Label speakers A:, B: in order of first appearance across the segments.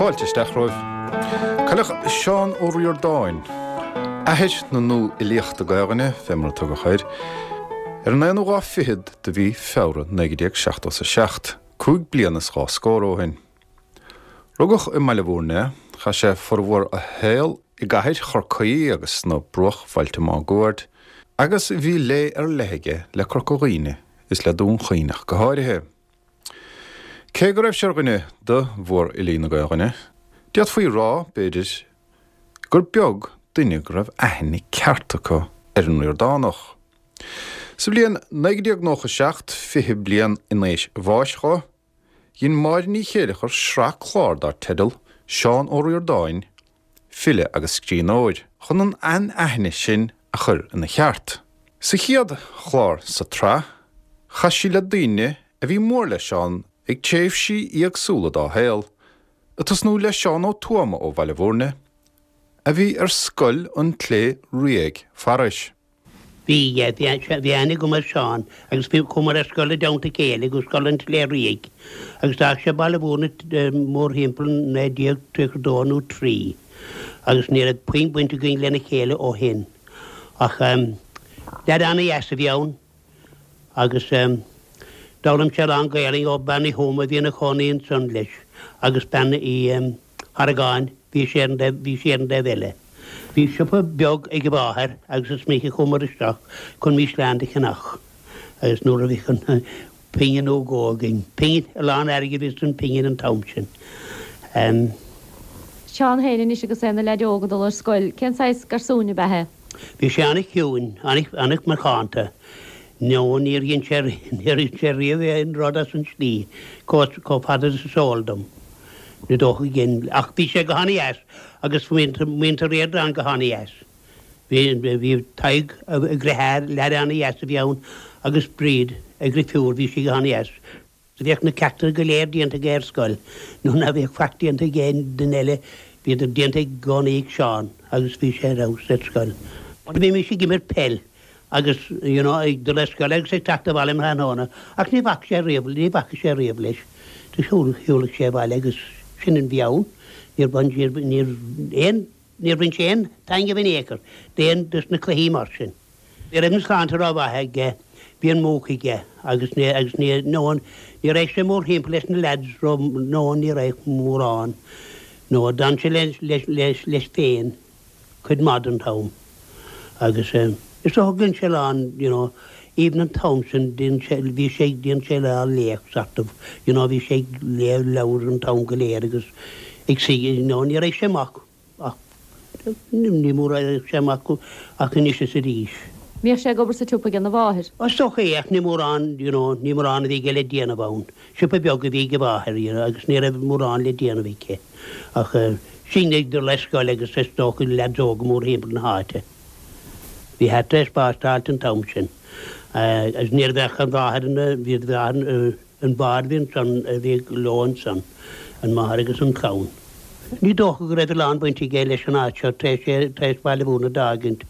A: Fáilte isteach romhaibh. Cailleadh Seán Ó Ríordáin, athair na nua-fhilíochta Gaelainne, fé mar a tugadh air, ar an aonú lá fichead de mhí Feabhra 1977, 5 bliana is 2 scór ó shin. Rugadh i mBaile Bhúirne é, chaith sé formhór a shaol i gcathair Chorcaí agus sna bruachbhailte máguaird, agus bhí lé ar leith aige le Corca Dhuibhne is le Dún Chaoin ach go háirithe. Cé go raibh sé ar dhuine de mhórfhilí na Gaelainne, d'fhéadfaí a rá, b'fhéidir, gur beag duine go raibh aithne ceart acu ar an Ríordánach. Sa bhliain 1997, 20 bliain in éis bháis dho, Dhein Máire Ní Chéileachair sraith clár dar teideal Seán Ó Ríordáin, File agus Scríbhneoir, chun an anaithne sin a chur ina cheart. Sa chéad chlár sa tsraith, chas sí le daoine a bhí mór le Seán ag tréimhsí éagsúla dá shaol, ag tosnú le Seán Ó Tuama ó Bhaile Bhúirne, a bhí ar Scoil an tSléibhe Fhraoigh fairis.
B: Bhí, yeah, bhí, bhí aithne agam ar Seán agus bhí, chuamar ar scoil i dteannta a chéile go Scoil an tSléibhe Fhraoigh agus d'fhág sé Baile Bhúirne mórthimpeall 1932 nó 3 agus ní raibh puinn baint againn lena chéile ó shin. Ach leaid ana-dheas a bhí ann agus d'fhoghlaim sé a lán Gaelainn ó Bean Uí Thuama a bhí ina chónaí ansan leis agus Bean Uí. Harragáin, bhí sé ar an dtaobh, bhí sí ar an dtaobh eile. Bhí siopa beag ag a mháthair agus is minic a chuamar isteach chun mísleán do cheannach agus nuair a bhíodh an phingin nó dhó againn, pingin, a lán airgid a bhí san phingin an t-am sin.
C: Seán féin anois agus é ina leaid óg ag dul ar scoil, cén saghas garsúin ab ea é?
B: Bhí sé an-chiúin, an-mhacánta. No, níor dhein sé, níor dhein sé riamh aon rud as an slí, chomh fada is is eol dom. Ní dócha go dhein, ach bhí sé go han-dheas agus muintir Ríordáin go han-dheas. Bhí, bhí Tadhg, a dheartháir, leaid an-dheas a bhí ann agus Bríd, a dhrifiúr, bhí sí go han-dheas. Bhíodh na ceachtanna go léir déanta aige ar scoil. Nuair ná bhíodh faic déanta ag aon duine eile, bhíodar déanta i gcónaí ag Seán agus bhí sé ar fheabhas ar scoil. Bhímis ag imirt peil agus you know ag dul ar scoil agus ag teacht abhaile um thráthnóna ach ní bhac sé riamh, ní bhacadh sé riamh leis. Do shiúladh sé abhaile agus sin an bhí ann. Níor bhain, níor, aon, níor bhain sé aon taitneamh in aon chor d'aon dos na cluichí mar sin. Ní raibh an tsláinte rómhaith aige, bhí an múch aige agus ní, agus ní, no, ní raibh sé mórthimpeall leis na lads ró, no, ní raibh mórán, no, d'fhan sé leis, leis, leis, leis féin cuid maith den t-am agus eh, is dócha go dhein sé a lán, you know, even an t-am sin dhein sé, bhí sé, dhein sé a lán léamh sort of, you know, bhí sé ag léamh leabhar an t-am go léir agus ag suí, you know, ní raibh sé amach. Ach ní mór a raibh sé amach ach anois is arís.
C: Bhíodh sé ag obair sa tsiopa ag a mháthair.
B: Is dócha é, ach ní mórán, you know, ní mórán a bhí aige le déanamh ann. Siopa beag a bhí ag a mháthair, you know, agus ní raibh mórán le déanamh aici. Ach sinn ag dul ar scoil agus is dócha leaids óga mórthimpeall na háite. Bhí thart ar spástáilt an t-am sin. Agus ní raibh ach an mháthair ina, bhí a mháthair, An bád a bhí ansan a bhí leo ansan, an máthair agus an clann. Ní dócha go raibh a lán baint aige leis an áit seo tar éis tar éis Baile Bhúirne d'fhágaint.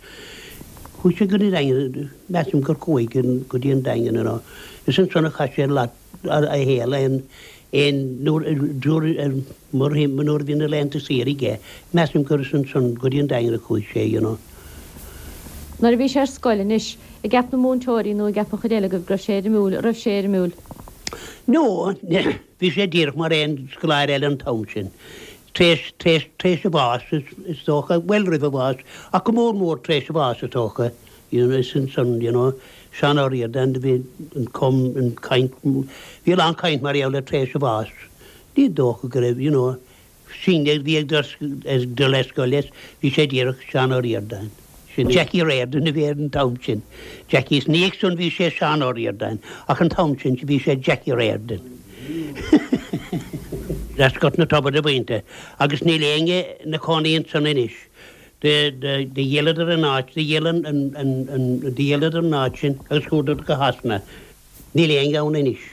B: Chuaigh sé go dtí an Daingean, measaim gur chuaigh go dtí an Daingean you know. Is ansan a chaith sé a lot a shaol aon aon nuair nuair nuair a bhí na laethanta saoire aige, measaim gur is ansan go dtí an Daingean a chuaigh sé you know.
C: Nuair a bhí sé ar scoil anois, an gceap na múinteoirí nó an gceap an chuid eile agaibh go raibh sé éirimiúil, an raibh sé éirimiúil?
B: No, bhí sé díreach mar aon scoláire eile an t-am sin. Tar éis, tar éis, tar éis a bháis is, is dócha, bhuel roimh a bhás, ach go mór mór tar éis a bháis is dócha, you know, is ansan, you know, Seán Ó Ríordáin, do bhí an cum, an caint, bhí a lán caint mar gheall air tar éis a bháis. Ní dócha go raibh, you know, Sinne a bhí ag dul ar scoil leis, bhí sé díreach Seán Ó Ríordáin. Sin Jackie Riordan a bhí air an t-am sin. Jackie, is ina dhiaidh san bhí sé Seán Ó Ríordáin, ach an t-am sin bhí sé Jackie Riordan. As Gort na Tobar a mhuintir, agus níl éinne 'na chónaí ansan anois. Do dhíoladar an áit, do dhíol an, do dhíoladar an áit sin agus chuadar go Shasana. Níl éinne ann anois.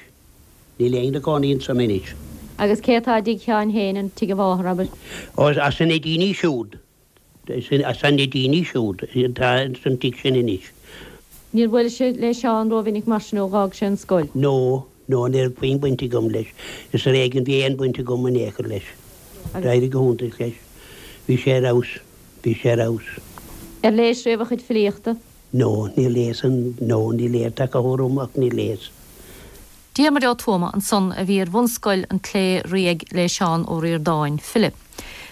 B: Níl éinne 'na gcónaí ansan anois.
C: Agus cé atá i dtigh Sheáin féin, an tigh a mháthar, abair?
B: Ó, as na daoine siúd, as na daoine siúd atá san tigh sin anois.
C: Níor bhuailis le Seán rómhinic mar sin ó dh'fhág sé an scoil?
B: No, no, ní raibh puinn baint agam leis. Is ar éigean bhí aon bhaint agam in aon chor leis. D'éirigh go hiontach leis. Bhí sé ar fheabhas. Bhí sé ar fheabhas.
C: Ar léis riamh a chuid filíochta?
B: No, níor léas an, no, ní léas, tá go romham ach níor léas.
C: Diarmuid Ó Tuama ansan a bhí ar bhunscoil an tSlé Riaigh le Seán Ó Ríordáin, file.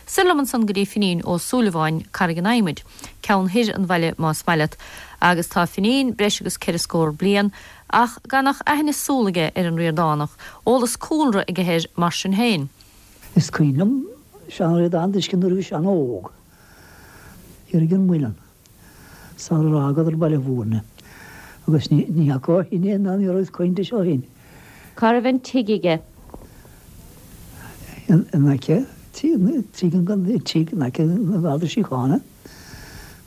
C: Soir liom ansan go dtí Finín Ó Súilleabháin, Carraig an Adhmaid, ceann thoir an bhaile más maith leat, agus tá Finín breis agus ceithre scór bliain ach gan ach aithne súl aige ar an Ríordánach, eolas cúlra aige air mar sin féin.
D: Is cuimhin liom Seán Ó Ríordáin a d'fheiscint nuair a bhí sé an-óg. Thiar ag an muileann. Sarar fhágadar Baile Mhúirne. Agus ní fhaca ó shin é ná ní raibh caint ó shin.
C: Cá raibh an tigh aige?
D: In aice tigh an tigh in aice na Garda Síochána,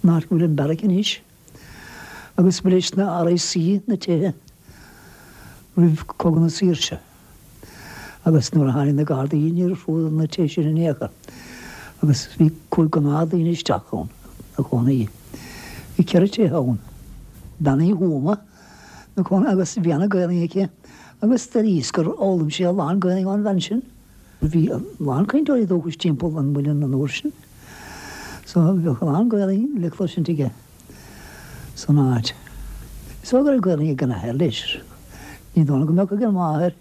D: an áit go bhfuil an beairic anois. Agus ba leis na RIC na tithe roimh Cogadh na Saoirse. Agus nuair a tháinig na Gardaí níor fuaireadar na tithe sin in aon chor. Agus bhí chuaigh gnáthdhaoine isteach ann ina cónaí. Bhí ceithre tithe ann. Bean Uí Thuama ina cónaí agus bhí ana-Ghaelainn aici agus d'airíos gur fhoghlaim sí a lán Gaelainn ón bhean sin. Bhí a lán cainteoirí dúchais timpeall an mhuilinn an uair sin so bheadh a lán Gaelainn le cloisint aige san áit. Is dóigh go raibh Gaelainn ag an athair leis. Ní dóigh liom go mbeadh ag an máthair.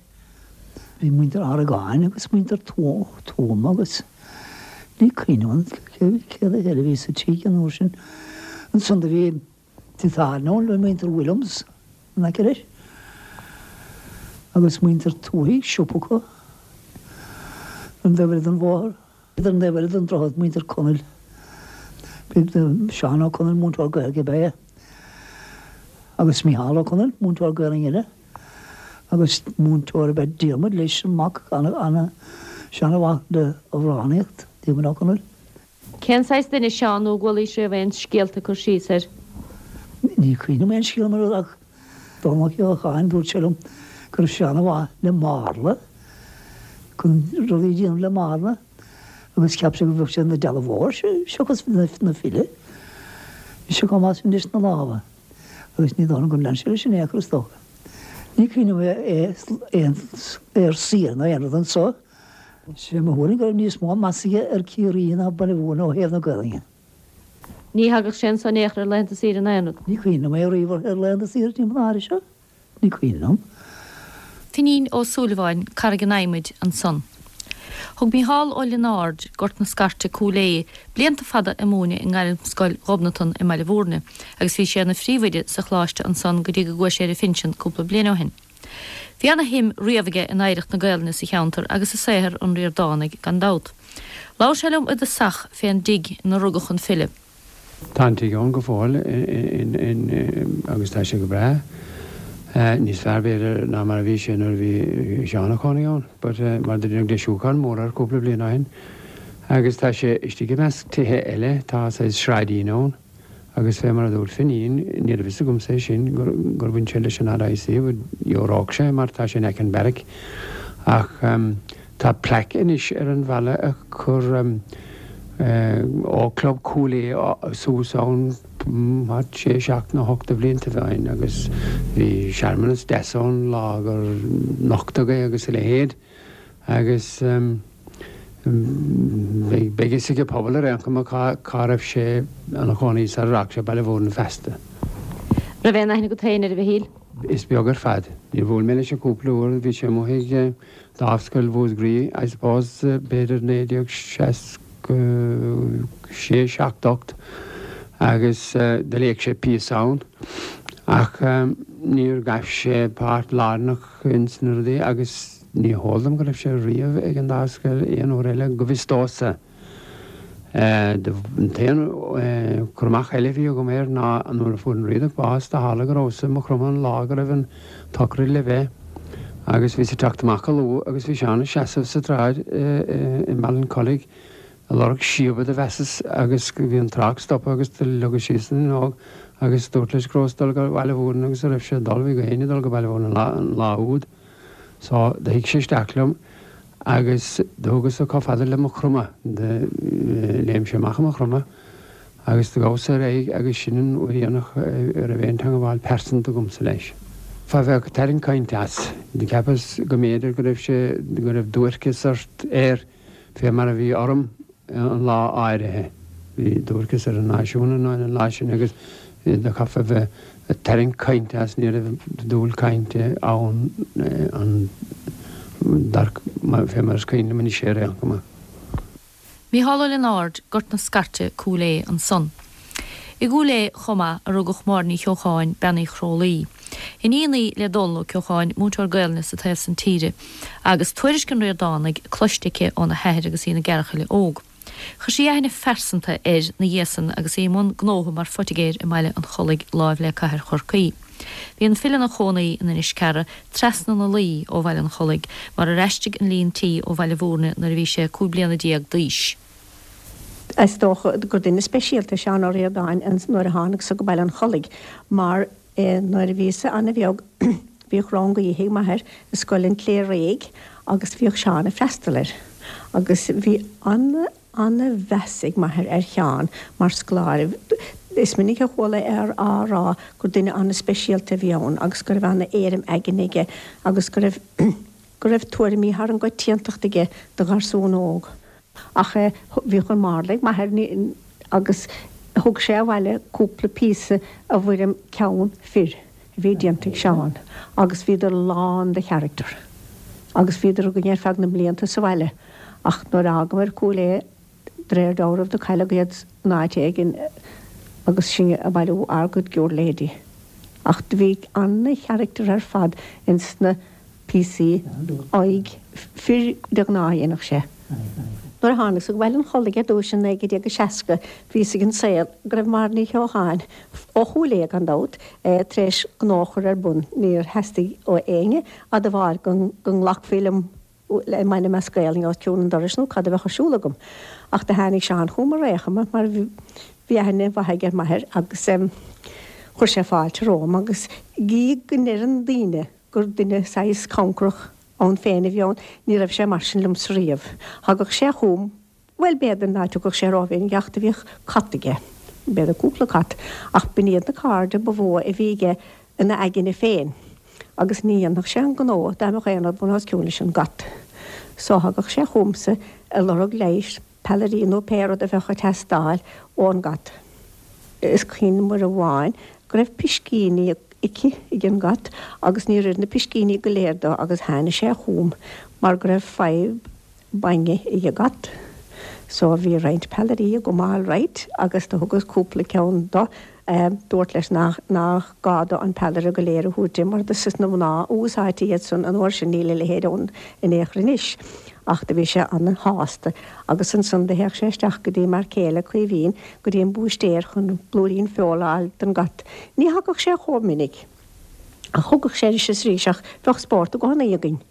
D: Bhí muintir Argáin agus muintir Tuama agus ní cuimhin liom céard eile a bhí sa tigh an uair sin. Ansan do bhí Tigh tábhairne ann le muintir Williams in aice leis agus muintir Tuohy, siopa acu ar an dtaobh eile den bhóthar. Ar an dtaobh eile den droichead, muintir Conaill. Seán Ó Conaill, múinteoir Gaeilge ab ea é, agus Micheál Ó Conaill, múinteoir Gaelainne eile, agus múinteoir ab ea Diarmuid leis, an mac, ana-mhaith le amhránaíocht, Diarmuid Ó Conaill.
C: Cén saghas duine Seán nó an gcualaís riamh aon scéalta cur síos air?
D: Ní cuimhin liom aon scéal mar ach Dónall Ó Ceallacháin, dúirt sé liom go raibh sé ana-mhaith le marla, chun rudaí a dhéanamh le marla agus cheap sé go bheadh sé ina dealbhóir seachas ina file. Bhí sé chomh maith sin leis na lámha agus ní dóigh liom gur lean sé leis in aon chor is dócha. Ní cuimhin liom é ar saoire nó aon rud anso. Sé mo thuairim go raibh níos mó meas aige ar Ciarraí ná Baile Mhúirne ó thaobh na Gaelainne.
C: Ní thagadh sé anso in aon chor ar laethanta saoire ná aon rud.
D: Ní cuimhin liom é riamh ar laethanta saoire timpeall na háite seo. Ní cuimhin liom.
C: Finín Ó Súilleabháin, Carraig an Adhmaid, ansan. Thug Mícheál Ó Lionáird, Gort na Scairte, Cúil Aodha, blianta fada ag múineadh i nGairmscoil Ghobnatan i mBaile Mhúirne agus bhí sé ina phríomhoide sa choláiste ansan go dtí go gcuaigh sé ar a phinsean cúpla bliain ó shin. Bhí ana shuim riamh aige in oidhreacht na Gaelainne sa cheantar agus i saothar an Ríordánaigh gan dabht. Labhair sé liom i dtosach fén dtigh ina rugadh an file.
E: Tá an tigh ann go fóill agus tá sé go breá. Níos fearr b'fhéidir ná mar a bhí sé nuair a bhí Seán ina chónaí ann but mar do deineadh deisiúchán mór air cúpla bliain ó shin agus tá sé istigh i measc tithe eile, tá saghas sráidín ann. Agus fé mar a dúirt Finín, ní raibh fhios agamsa é sin, gur bhain sé leis an RIC, but gheobhaidh sé, mar tá sé in aice an beairic. Ach tá plaic anois ar an bhalla a chuir Ógchlub Chúil Aodha suas ann thart sé, seacht nó hocht de bhliantaibh ó shin agus bhí searmanas deas ann lá gur nochtadh é agus a leithéid. Agus beidh fhios ag an pobal ar aon chuma cá raibh sé ina chónaí sar a d'fhág sé Baile Mhúirne feasta.
C: Raibh aon aithne agat féin air, a Mhichíl?
E: Is beag ar fad. Níor bhuail mé leis ach cúpla uair. Bhí sé amuigh ag Dámhscoil Mhúscraí, I suppose, b'fhéidir 1966, 7, 8 agus do léigh sé píosa ann ach níor ghabh sé páirt lárnach ins na rudaí agus Ní heol dom go raibh sé riamh ag an Dámhscoil aon uair eile, go bhfios domhsa. An t-aon cur amach eile a bhí agam air ná nuair a fuair an Riadach bás, do tharla go rabhas-sa i Maigh Chromtha an lá go raibh an tsochraid le bheith agus bhíos ag teacht amach go luath agus bhí Seán ina sheasamh sa tsráid i Ballincollig ag lorg síoba do mheasas agus bhí an trácht stoptha agus do leagas síos an fhuinneog agus dúrt leis go rabhas ag dul go Baile Mhúirne agus a raibh sé ag dul, bhí gach éinne ag dul go Baile Mhúirne an lá úd. So, do shuigh sé isteach liom agus do thugas-sa chomh fada le Maigh Chromtha, do léim sé amach i Maigh Chromtha agus do ghabhas-sa ar aghaidh agus sin an uair dheireanach a raibh aon teangabháil pearsanta agamsa leis. Fá bheadh ag tarraingt cainte as, do cheapas go mb'fhéidir go raibh sé, go raibh duairce sort air. Fé mar a bhí orm an lá áirithe. Bhí duairceas ar an náisiún an lá sin agus do chaithfeá bheith ag tarraingt cainte as, ní raibh dúil cainte ann an fé mar is cuimhin liom anois é ar aon chuma.
C: Mícheál Ó Lionáird, Gort na Scairte, Cúil Aodha ansan. I gCúil Aodha chomh maith a rugadh Máire Ní Cheocháin, Bean Uí Chrólaí. Iníon í le Dónal Ó Ceocháin, múinteoir Gaelainne sa taobh san tíre, agus tuairisc an Ríordánaigh cloiste aici óna hathair agus í ina gearrchaile óg. Chuir sí aithne phearsanta air 'na dhiaidh san agus í i mbun gnótha mar phoitigéir i mBaile an Chollaigh láimh le cathair Chorcaí. Bhí an file ina chónaí in Inis Cearra, trasna na Laoi ó Bhaile an Chollaigh, mar ar aistrigh an líon tí ó Bhaile Bhúirne nuair a bhí sé 15 bliana d'aois.
F: Is dócha gur duine speisialta Seán Ó Ríordáin nuair a tháinig-sa go Baile an Chollaigh mar nuair a bhíos-sa ana-bheag bhíodh rang oíche ag m'athair i Scoil an Chléirigh agus bhíodh Seán ag freastal air agus bhí ana ana-mheas ag m'athair ar Sheán mar scoláire. Is minic a chuala é á rá gur duine ana-speisialta a bhí ann agus go raibh ana-éirim aigne aige agus go raibh go raibh tuairimí thar an gcoitiantacht aige do gharsún óg. Ach bhíodh an marla ag m'athair agus thug sé abhaile cúpla píosa i bhfoirm ceann fir a bhí déanta ag Seán agus bhíodar lán de charachtar agus bhíodar againn ar feadh na mblianta sa bhaile ach nuair a fhágamar Cúil Aodha de réir dealraimh do cailleadh iad in áit éigin agus sinn ag bailiú ár gcuid giúirléidí. Ach do bhí ana-charachtar ar fad ins na píosaí aghaidh fir de ghnáth a dhéanadh sé. Nuair a tháinig-sa go Baile an Chollaigh ar dtúis in 1960 bhí fhios ag an saol go raibh Máire Ní Cheocháin, ó Chúil Aodha gan dabht, tar éis gnó a chur ar bun. Níor theastaigh ó éinne admháil go nglacfaí liom le m'ainm as Gaelainn os cionn an dorais nó cad a bheadh ar siúl agam. Ach do tháinig Seán chugam ar aon chuma mar bhí aithne mhaith aige ar m'athair agus chuir sé fáilte romham agus gídh go ndeireann daoine gur duine saghas cancarach ann féin a bhí ann, ní raibh sé mar sin liomsa riamh. Thagadh sé chugam, bhuel, b'fhéidir ná tiocfadh sé rómhinic ach do bhíodh cat aige, b'fhéidir cúpla cat, ach b'in iad na cairde ba mhó a bhí aige ina aigne féin agus ní dhéanfadh sé an gnó dá mbeadh aon rud bun os cionn leis an gcat. So thagadh sé chugamsa ag lorg leighis, peallairí nó pé rud a bheadh ag teastáil ón gcat. Is cuimhin liom uair amháin go raibh piscíní aici, ag an gcat, agus níor oir na piscíní go léir dó agus tháinig sé chugam mar go raibh fadhb bainne ag an gcat. So bhí roinnt peallairí agam alright agus do thugas cúpla ceann do. Dúrt leis nach nach gá do an peallaire go léir a thabhairt di mar dos na mná a úsáidtí iad san an uair sin níl a leithéid ann in aon chor anois. Ach do bhí sé ana-shásta agus ansan do théadh sé isteach go dtí m'fhear céile Caoimhín go dtí an búistéir chun blúirín feola a fháil don gcat. Ní thagadh sé chomh minic ach thugadh sé anois is arís ach bheadh spórt i gcónaí againn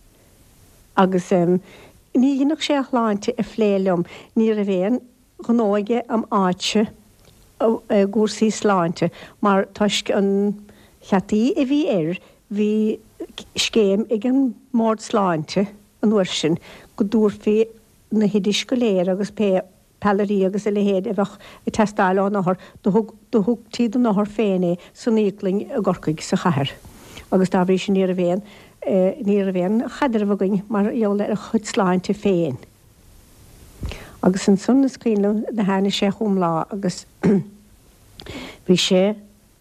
F: agus ní dheineadh sé a shláinte a phlé liom. Ní raibh aon ghnó aige im áitse i gcúrsaí sláinte mar toisc an cheataí a bhí air bhí scéim ag an mBord Sláinte an uair sin go dtabharfaí na hoidis go léir agus pé peallairí agus a leithéid a bheadh ag teastáil ón othar, do thug, do thugtaí don othar féin é san íoclainn i gCorcaigh, sa chathair. Agus dá bhrí sin ní raibh aon, ní raibh aon chaidreamh againn mar gheall ar a chuid sláinte féin. Agus ansan is cuimhin liom do tháinig sé chugam lá agus bhí sé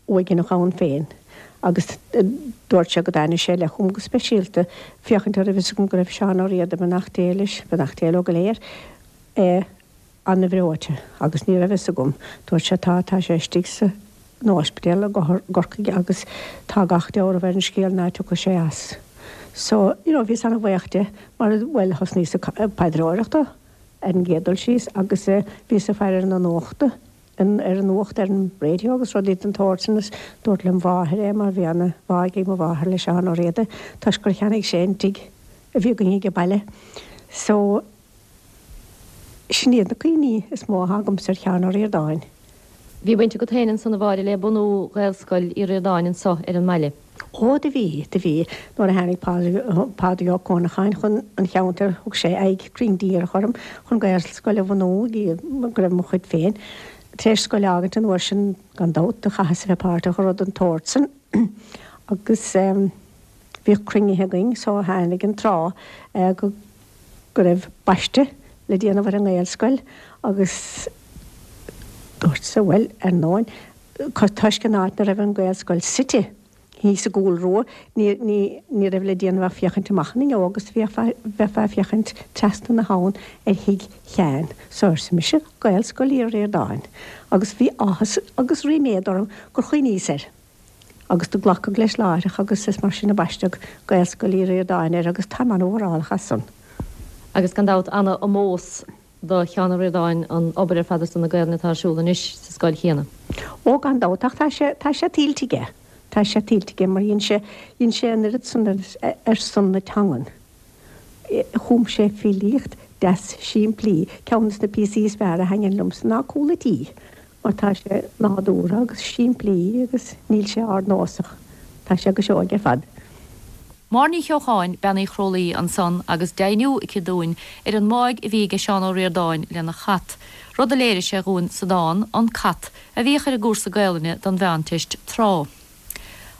F: uaigneach ann féin agus dúirt sé go dtáinig sé i leith chugam go speisialta féachaint an raibh fhios agam go raibh Seán Ó Riada, beannacht Dé leis, beannacht Dé leo go léir, an-bhreoite agus ní raibh fhios agam. Dúirt sé tá, tá sé istigh san ospidéal i gCorcaigh agus tá gach dealramh ar an scéal ná tiocfaidh sé as. So, you know, bhíos an-bhuíoch de mar, bhuel, thosnaíos ag paidreoireacht dó ar an gcéad dul síos agus bhíos ag faire ar na nuachta, ar an nuacht ar an radio agus rudaí den tsórt sin is dúrt lem mháthair é mar bhí ana-bhá ag mo mháthair le Seán Ó Riada toisc gur cheannaigh sé an tigh a bhí againn age baile. So, sin iad na cuimhní is mó atá agamsa ar Sheán Ó Ríordáin.
C: Bhí baint agat féin ansan a Mháire le bunú Ghaelscoil Uí Ríordáin anso ar an mbaile.
F: Ó do bhí, do bhí. Nuair a tháinig Pádraig Ó Conacháin chun an cheantair thug sé aghaidh cruinn díreach orm chun Gaelscoil a bhunú, go raibh mo chuid féin tar éis scoil a fhágaint an uair sin gan dabht, do chaitheas a bheith páirteach i rud den tsórt san agus bhíodh cruinnithe againn so tháinig an tráth go go raibh baisteadh le. le déanamh ar an nGaelscoil agus dúrtsa, bhuel, ar ndóin, toisc an áit 'na raibh an Ghaelscoil suite thíos i gCúil Rua, ní, ní, ní raibh le déanamh ach féachaint amach an fhuinneog agus bheifeá, bheifeá ag féachaint trasna na habhann ar thigh Sheáin. So arsa mise, Gaelscoil Uí Ríordáin. Agus bhí áthas agus ríméad orm gur chuimhníos air. Agus do glacadh leis láithreach agus is mar sin a baisteadh Gaelscoil Uí Ríordáin air agus táim an-mhórálach as san.
C: Agus gan dabht ana-omós do Sheán Ó Ríordáin an obair ar fad ar son na Gaelainne atá ar siúl anois sa scoil chéanna.
F: Ó gan dabht ach tá sé, tá sé tuillte aige, tá sé tuillte aige mar dhein sé, dhein sé an oiread san ar son na teangan. Chum sé filíocht deas simplí, ceann des na píosaí is fearr a thaitníonn liomsa ná Cúl a' Tí. Mar tá sé nádúrtha agus simplí agus níl sé ardnósach. Tá sé go seoigh ar fad.
C: Máire Ní Cheocháin, Bean Uí Chrólaí, ansan agus deimhniú aici dúinn ar an mbáidh a bhí aige Seán Ó Ríordáin lena chat, rud a léirigh sé dhúinn sa dán 'An Cat' a bhíodh ar an gcúrsa Gaelainne don Mheánteist tráth.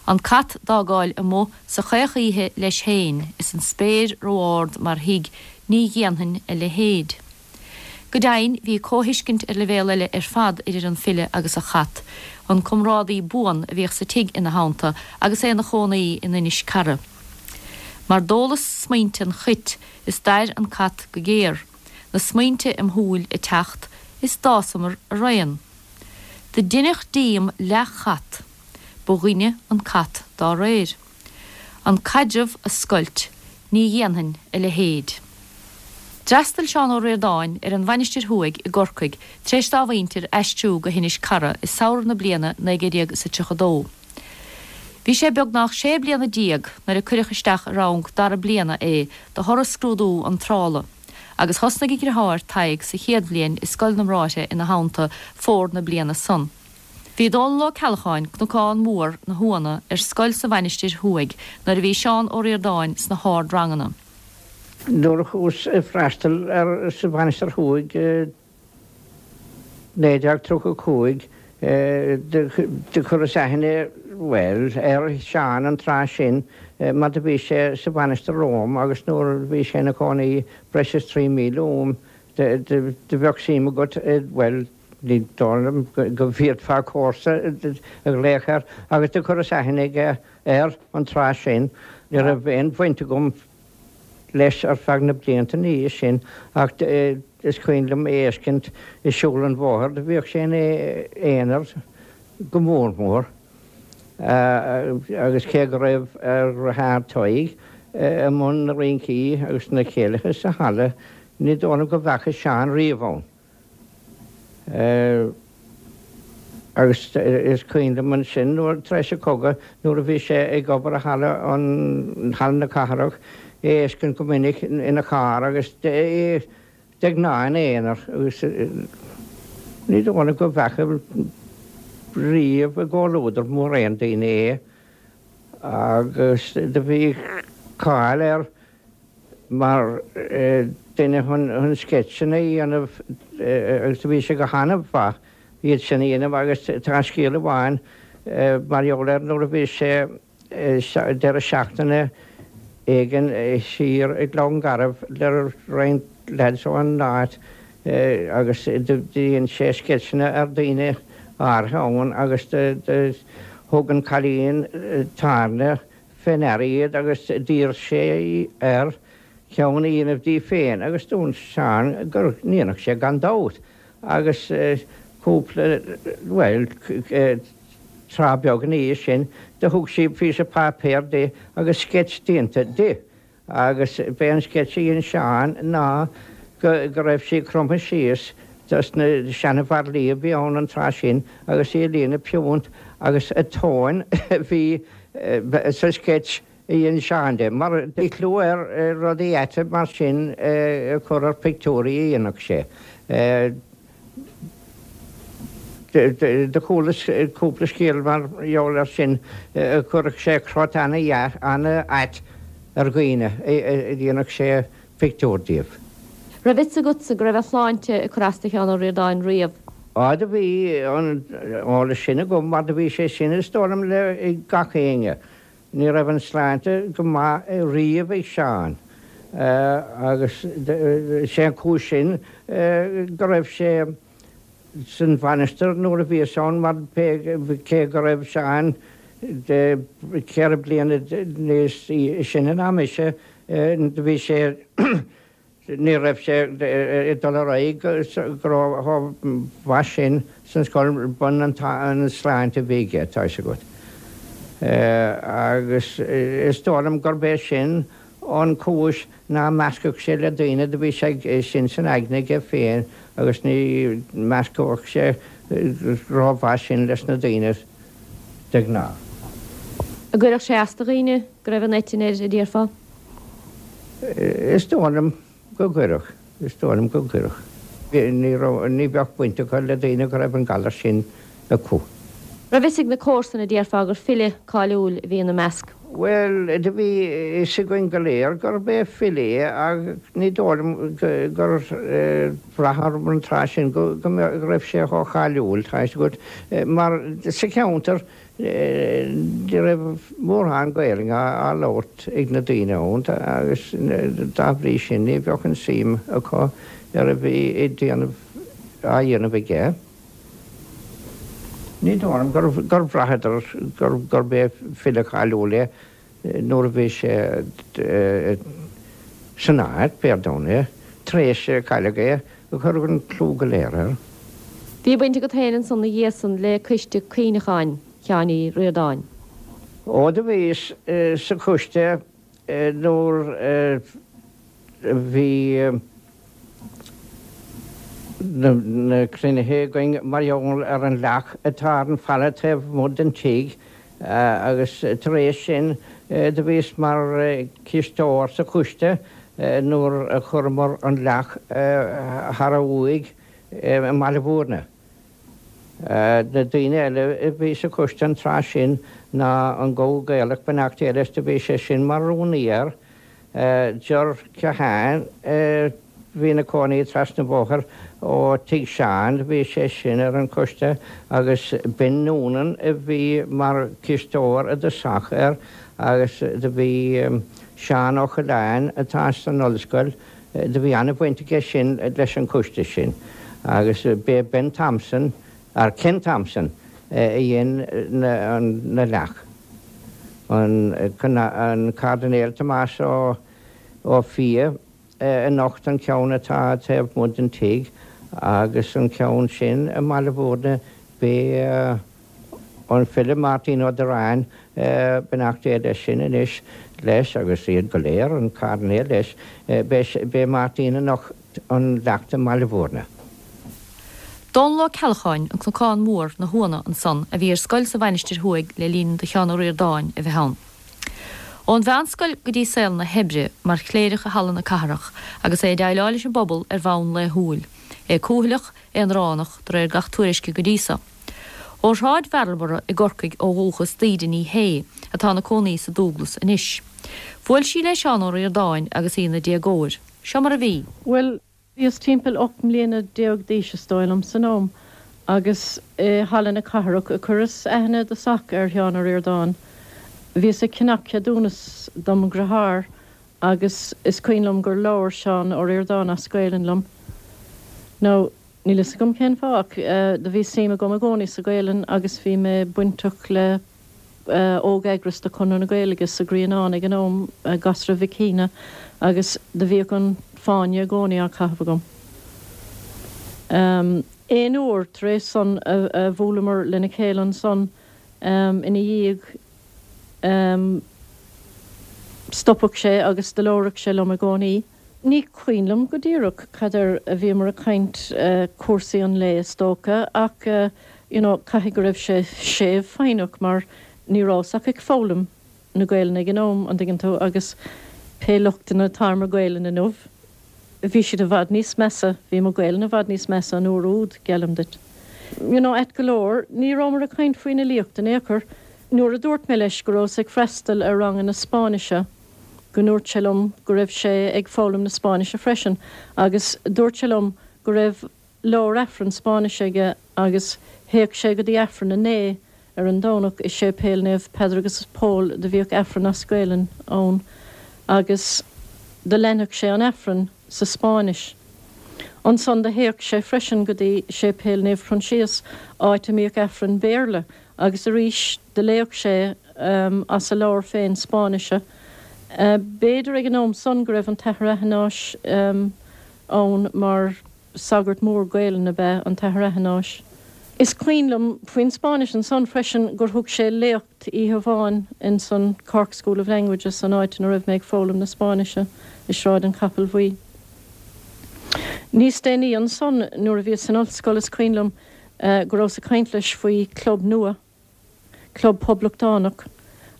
C: An cat d'fhágáil amuigh sa chaoch oíche leis féin is an spéir ró-ard mar thigh, ní dhéanfainn a leithéid. Go deimhin, bhí comhthuiscint ar leibhéal eile ar fad idir an file agus a chat, an comrádaí buan a bhíodh sa tigh ina theannta agus é ina chónaí in Inis Cara. Mar d'ólas smaointe an chait is d'air an cat go géar, na smaointe im shúil ag teacht is d'fhásamar araon. Do deineadh díom leath-chat, ba dhuine an cat dá réir. An caidreamh a scoilt, ní dhéanfainn a leithéid. D'fhreastail Seán Ó Ríordáin ar an Mhainistir Thuaidh i gCorcaigh tar éis dá mhuintir aistriú go hInis Cara i samhradh na bliana 1932. Bhí sé beagnach sé bliana nuair a cuireadh isteach i rang dara bliana é de thoradh scrúdú iontrála, agus thosnaigh a dhriotháir Tadhg sa chéad bhliain i Scoil na mBráithre ina theannta fómhar na bliana san. Bhí Dónall Ó Ceallacháin, Cnocán Mór na hUanna, ar scoil sa Mhainistir Thuaidh nuair a bhí Seán Ó Ríordáin sna hard-ranganna.
G: Nuair a chuas ag freastal ar sa Mhainistir Thuaidh i 1935 do chuireas aithne, bhuel, ar Sheán an tráth sin mar do bhí sé sa Mhainistir romham agus nuair a bhí sé ina chónaí breis is 3 míle uaim do bheadh suim agat, bhuel, Ní dóigh liom go bhféadfá comharsa a ghlaoch air agus do chuireas aithne aige air an tráth sin. Ní raibh aon bhaint agam leis ar feadh na blianta ina dhiaidh sin ach is cuimhin liom é fheiscint ag siúl an bhóthair. Do bhíodh sé ina aonar go mór mór agus cé go raibh a dhriotháir Tadhg i mbun na rincí agus na céilithe sa halla ní dóigh liom go bhfeaca Seán riamh ann. Agus is cuimhin liom ansin nuair, tar éis an chogaidh, nuair a bhí sé ag obair i halla an, Halla na Cathrach, é a fheiscint go minic ina charr agus é de ghnáth ina aonar agus ní dóigh liom go bhfeaca riamh i gcomhluadar mórán daoine é agus do bhí cáil air mar duine chun sceitseanna a dhéanamh agus bhí sé go han-mhaith iad sin a dhéanamh agus tá scéal amháin mar gheall air nuair a bhí sé deireadh seachtaine éigin thiar i gCluain Garbh le roinnt lads ón áit agus dhein sé sceitseanna ar daoine áirithe ann agus thug an cailín tábhairne fé ndeara iad agus d'iarr sé air ceann a dhéanamh di féin agus dúirt Seán go ndéanfadh sé gan dabht agus cúpla, bhuel, tráth beag ina dhiaidh sin do thug sí píosa páipéir di agus sceits déanta di. Agus b'é an sceits a dhein Seán ná go raibh sí cromtha síos dos na seana-bhairillí a bhí ann an tráth sin agus í ag líonadh piúnt agus a tóin a bhí sa sceits a dhein Seán di. Mar bhí clú air rudaí aite mar sin a chur ar phictiúirí a dhéanfadh sé. Do chualas cúpla scéal mar gheall air sin, chuirfeadh sé crot ana-dheas, ana-ait ar dhaoine a dhéanfadh sé pictiúr díobh.
C: Raibh fhios agatsa go raibh a shláinte ag cur as do Sheán Ó Ríordáin riamh?
G: Á do bhí an eolas sin agam mar do bhí sé sin is dóigh liom le ag gach éinne. Ní raibh an sláinte go maith riamh ag Seán. Agus sé an chúis sin go raibh sé san mhainistir nuair a bhíos ann mar cé go raibh Seán 4 bliana níos sine ná mise do bhí sé Ní raibh sé ag dul ar aghaidh go chomh maith sin san scoil, b'in an sláinte a bhí aige, tá fhios agat. Agus is dóigh liom gurb é sin an chúis ná meascfadh sé le daoine, do bhí sé sin san aigne aige féin agus ní meascfadh sé rómhaith sin leis na daoine de ghnáth.
C: An gcuirfeadh sé as do dhaoine go raibh an eitinn air, a déarfá?
G: Is dóigh liom go gcuirfeadh. Is dóigh liom go gcuirfeadh. Ní raibh, ní bheadh baint acu le daoine go raibh an galar sin acu.
C: Raibh fhios ag na comharsana, a déarfá, gur file cáiliúil a bhí ina measc?
G: Bhuel, do bhí fhios againn go léir gurb é file é ach ní dóigh liom gur bhraith orm an tráth sin go raibh sé chomh cáiliúil, tá fhios agat, mar sa cheantar Ní raibh mórán Gaelainne á labhairt ag na daoine ann agus dá bhrí sin ní bheadh an suim acu ar a bhí ag déanamh á dhéanamh aige. Ní dóigh liom gur bhraitheadar gurb é file cáiliúil é. Nuair a bhí sé san áit, b'fhíor dom é, tar éis a cailleadh é, cuireadh an clú go léir air.
C: Bhí baint agat féin ansan 'na dhiaidh san le coiste cuimhneacháin Sheáin Uí Ríordáin.
G: Ó do bhíos sa choiste nuair a bhí na cruinnithe againn mar gheall ar an leac atá ar an bhfalla taobh amuigh den tigh agus tar éis sin do bhíos mar chisteoir sa choiste nuair a chuireamar an leac thar a uaigh i mBaile Mhúirne. Na daoine eile a bhí sa choiste an tráth sin ná an Gabha Gaelach, beannacht Dé leis, do bhí sé sin mar rúnaí air, Ger Keohane a bhí ina cónaí trasna an bhóthair ó tigh Sheáin, do bhí sé sin ar an choiste agus Ben Noonan a bhí mar chisteoir i dtosach air agus do bhí Seán Ó Coileáin atá san ollscoil, Do bhí an-bhaint aige sin leis an choiste sin agus b'é Ben Thompson, or Ken Thompson, a dhein na leac. An Cairdinéal Tomás Ó Fiaich a nocht an ceann atá taobh amuigh den tigh agus an ceann sin i mBaile Mhúirne b'é An file Máirtín Ó Direáin, beannacht Dé leis sin anois, leis, agus iad go léir, an Cairdinéal leis, b'é Máirtín a nocht an leacht i mBaile Mhúirne.
C: Dónall Ó Ceallacháin, An Cnocán Mór, Na hUanna, ansan, a bhí ar scoil sa Mhainistir Thuaidh le linn do Sheán Ó Ríordáin a bheith ann. Ón mheánscoil go dtí saol na hoibre mar chléireach i Halla na Cathrach agus é ag déileáil leis an bpobal ar bhonn laethúil. É cúthaileach, aonránach, de réir gach tuairisce go dtí so. Ó Shráid Mharlborough i gCorcaigh ó dhúchas d'Íde Ní Shé, atá ina cónaí sa Dúglas anois. Bhuail sí le Seán Ó Ríordáin agus í ina déagóir. Seo mar a bhí.
H: Bhuel, bhíos timpeall 18 mbliana d'aois is dóigh liom san am agus i Halla na Cathrach a chuireas aithne i dtosach ar Sheán Ó Ríordáin. Bhíos ag ceannach ceadúnas dom dhriotháir agus is cuimhin liom gur labhair Seán Ó Ríordáin as Gaelainn liom. Now, Níl fhios agam cén fáth ach do bhí suim agam i gcónaí sa Ghaelainn agus bhí mé bainteach le óg-eagras de Chonradh na Gaeilge sa Ghrianán ag an am, Gasra Mhic Shuibhne, agus do bhíodh an Fáinne i gcónaí á chaitheamh agam. Aon uair tar éis san a bhuaileamar lena chéile ansan ina dhiaidh stopadh sé agus do labhradh sé liom i gcónaí. Ní cuimhin liom go díreach cad air a bhíomar ag caint, cúrsaí an lae is dócha, ach you know caithfidh go raibh sé séimh foighneach mar ní rabhas ach ag foghlaim na Gaelainne ag an am, an dtuigeann tú, agus pé lochtanna atá ar mo Ghaelainn inniu, bhí siad i bhfad níos measa, bhí mo Ghaelainn i bhfad níos measa an uair úd, geallaim duit. You know, ait go leor, ní rabhamar ag caint faoin fhilíocht in aon chor. Nuair a dúirt mé leis go rabhas ag freastal ar ranganna Spáinnise, go ndúirt sé liom go raibh sé ag foghlaim na Spáinnise freisin agus dúirt sé liom go raibh leabhar Aifrinn Spáinnise aige agus théadh sé go dtí Aifreann a naoi ar an Domhnach i Séipéal Naomh Peadar agus Pól do bhíodh Aifreann as Gaelainn ann agus. do leanfadh sé an Aifreann sa Spáinnis. Ansan do théadh sé freisin go dtí Séipéal Naomh Proinsias, áit a mbíodh Aifreann Béarla, agus arís do léadh sé as a leabhar féin Spáinnise. B'fhéidir ag an am san go raibh an tAthair Athenáis ann mar sagart mór Gaelainne ab ea an tAthair Athenáis. Is cuimhin liom faoin Spáinnis ansan freisin gur thug sé léacht oíche amháin ins an Cork School of Languages, an áit ina raibh mé ag foghlaim na Spáinnise, i Sráid an Chapaill Bhuí. Níos déanaí ansan nuair a bhíos san ollscoil is cuimhin liom go rabhas ag caint leis faoi club nua, club poblachtánach,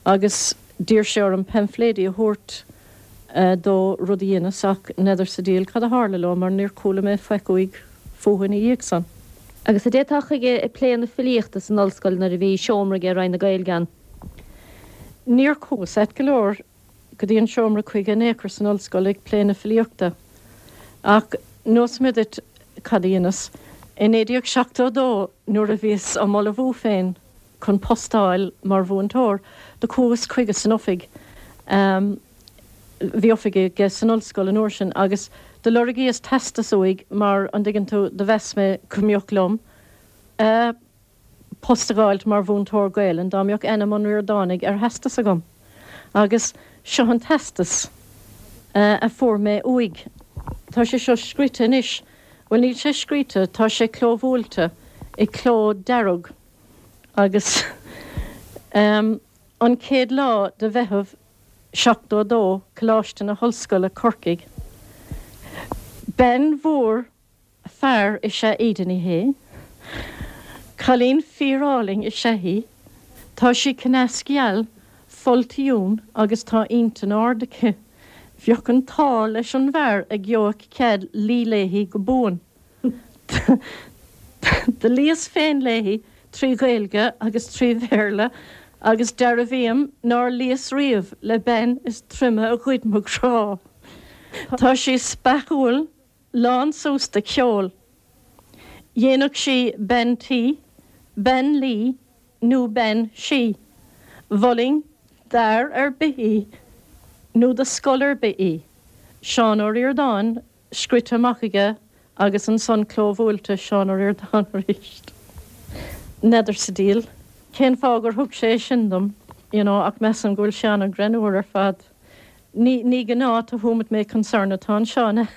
H: agus d'iarr sé orm paimfléidí a thabhairt dó, rud a dheineas, ach n'fheadar sa diabhal cad a tharla leo mar níor chuala mé faic uaidh fúthu ina dhiaidh san.
C: Agus an dtéiteá chuige ag plé na filíochta san ollscoil nuair a bhí seomra aige i Roinn na Gaeilge ann?
H: Níor chuas, ait go leor, go dtí an seomra chuige in aon chor san ollscoil ag plé na filíochta. Ach neosfaidh mé duit cad a dheineas. I 1972 nuair a bhíos á m'ullmhú féin chun post a fháil mar mhúinteoir, do chuas chuige san oifig, bhí oifig aige san ollscoil an uair sin, agus do lorgaíos teastas uaidh mar, an dtuigeann tú, do mheas mé go mbeadh liom post a dh'fháilt mar mhúinteoir Gaelainn dá mbeadh ainm an Ríordánaigh ar theastas agam. Agus seo an teastas a fuair mé uaidh. Tá sé seo scríte anois, bhuel níl sé scríte, tá sé clóbhuailte i gcló dearg agus an chéad lá de Mheitheamh 72, Coláiste na hOllscoile, Corcaigh. Bean mhór Fear is ea Íde Ní Shé. Cailín fíorálainn is ea í. Tá sí cneasgheal, foltdhún agus tá intinn ard aici. Bheadh an t-ádh leis an bhfear a gheobhadh cead luí léi go buan. Do luíos féin léi trí Ghaeilge agus trí Bhéarla agus dearbhaím nár luíos riamh le bean is troime a ghoid mo ghrá. Tá sí speachúil Lán suas de cheol. Dhéanfadh sí bean tí, bean luí nó bean sí. Mholfainn d'fhear ar bith í nó do scoil ar bith í. Seán Ó Ríordáin scrite amach aige agus ansan clóbhuailte Seán Ó Ríordáin arís. N'fheadar sa diabhal cén fáth gur thug sé é sin dom, you know, ach measaim go bhfuil sé an-ghreannmhar ar fad. Ní, ní gnáth to whom it may concern atá anseo, an ea?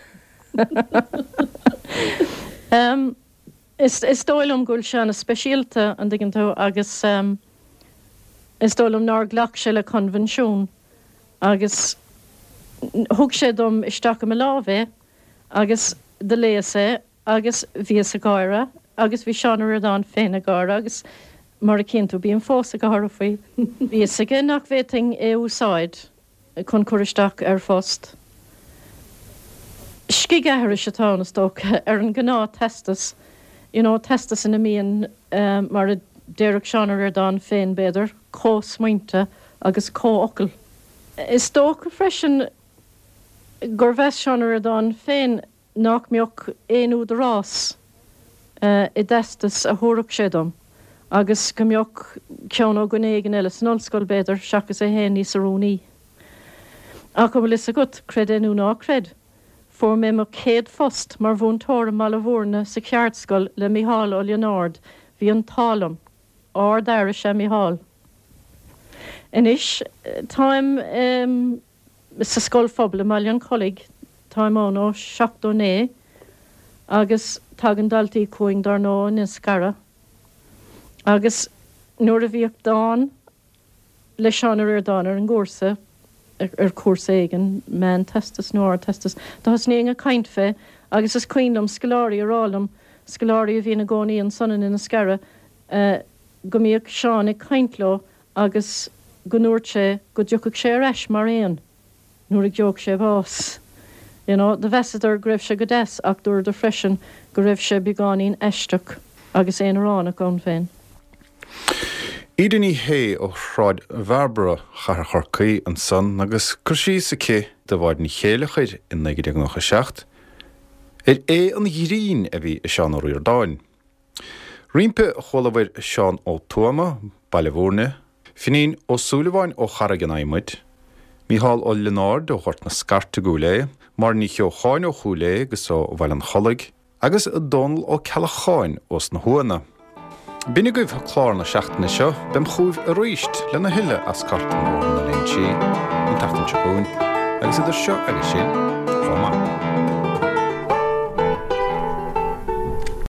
H: Is, is dóigh liom go bhfuil sé ana-speisialta, an dtuigeann tú, agus is dóigh liom nár ghlac sé le coinbhinsiún agus thug sé dom isteach i mo lámh é agus do léas é Agus bhíos ag gáire, agus bhí Seán Ó Ríordáin féin ag gáire, agus mar a chíonn tú, bím fós ag gáire faoi. Bhí fhios aige nach bhféadfainn é a úsáid chun cur isteach ar phost. Scigaithris atá ann, is dócha, ar an ngnáth-teastas, you know, teastas ina mbíonn, mar a déarfadh Seán Ó Ríordáin féin, b'fhéidir, comhsmaointe agus comhfhocail. Is dócha freisin gur mheas Seán Ó Ríordáin féin nach mbeadh aon údarás i dteastas a thabharfadh sé dom agus go mbeadh ceann ó dhuine éigin eile san ollscoil, b'fhéidir, seachas é féin níos oiriúnaí. Ach an bhfuil fhios agat, creid é nó ná creid, fuair mé mo chéad phost mar mhúinteoir i mBaile Mhúirne sa cheardscoil le Micheál Ó Lionáird, bhí an t-ádh liom. Ardfhear is ea Micheál. Anois táim. sa scoil phobail i mBaile an Chollaigh, táim ann ó 79 agus tagann daltaí chugainn dár ndóigh ó Inniscarra agus nuair a bhíodh dán le Seán Ó Ríordáin ar an gcúrsa, ar chúrsa éigin, meánteastas nó ardteastas, do thosnaínn ag caint fé agus is cuimhin liom scoláirí a rá liom, scoláirí a bhí ina gcónaí ansan in Inniscarra, go mbíodh Seán ag caint leo agus go ndúirt sé go dtiocfadh sé ar ais mar éan nuair a gheobhadh sé bás. You know, do mheasadar go raibh sé go deas ach dúradar freisin go raibh sé beagáinín aisteach agus aonaránach ann féin.
A: Íde Ní Shé ó Shráid Bhairbre, Chathair Chorcaí, ansan agus cur síos aici do Mháire Ní Chéileachair i 1997 ar aoibh an ghrinn a bhí i Seán Ó Ríordáin. Roimpi chualabhair Seán Ó Tuama, Baile Mhúirne, Finín Ó Súilleabháin ó Charraig an Adhmaid, Mícheál Ó Lionáird ó Ghort na Scairte i gCúil Aodha, Máire Ní Cheocháin ó Chúil Aodha agus ó Bhaile an Chollaigh, agus Dónal Ó Ceallacháin ós na hUadhanna. B'in agaibh clár na seachtaine seo, beim chugaibh aríst lena thuilleadh as Cartlann Bhóthar na Léinsí an tseachtain seo chugainn, agus idir seo agus sin, chomh maith.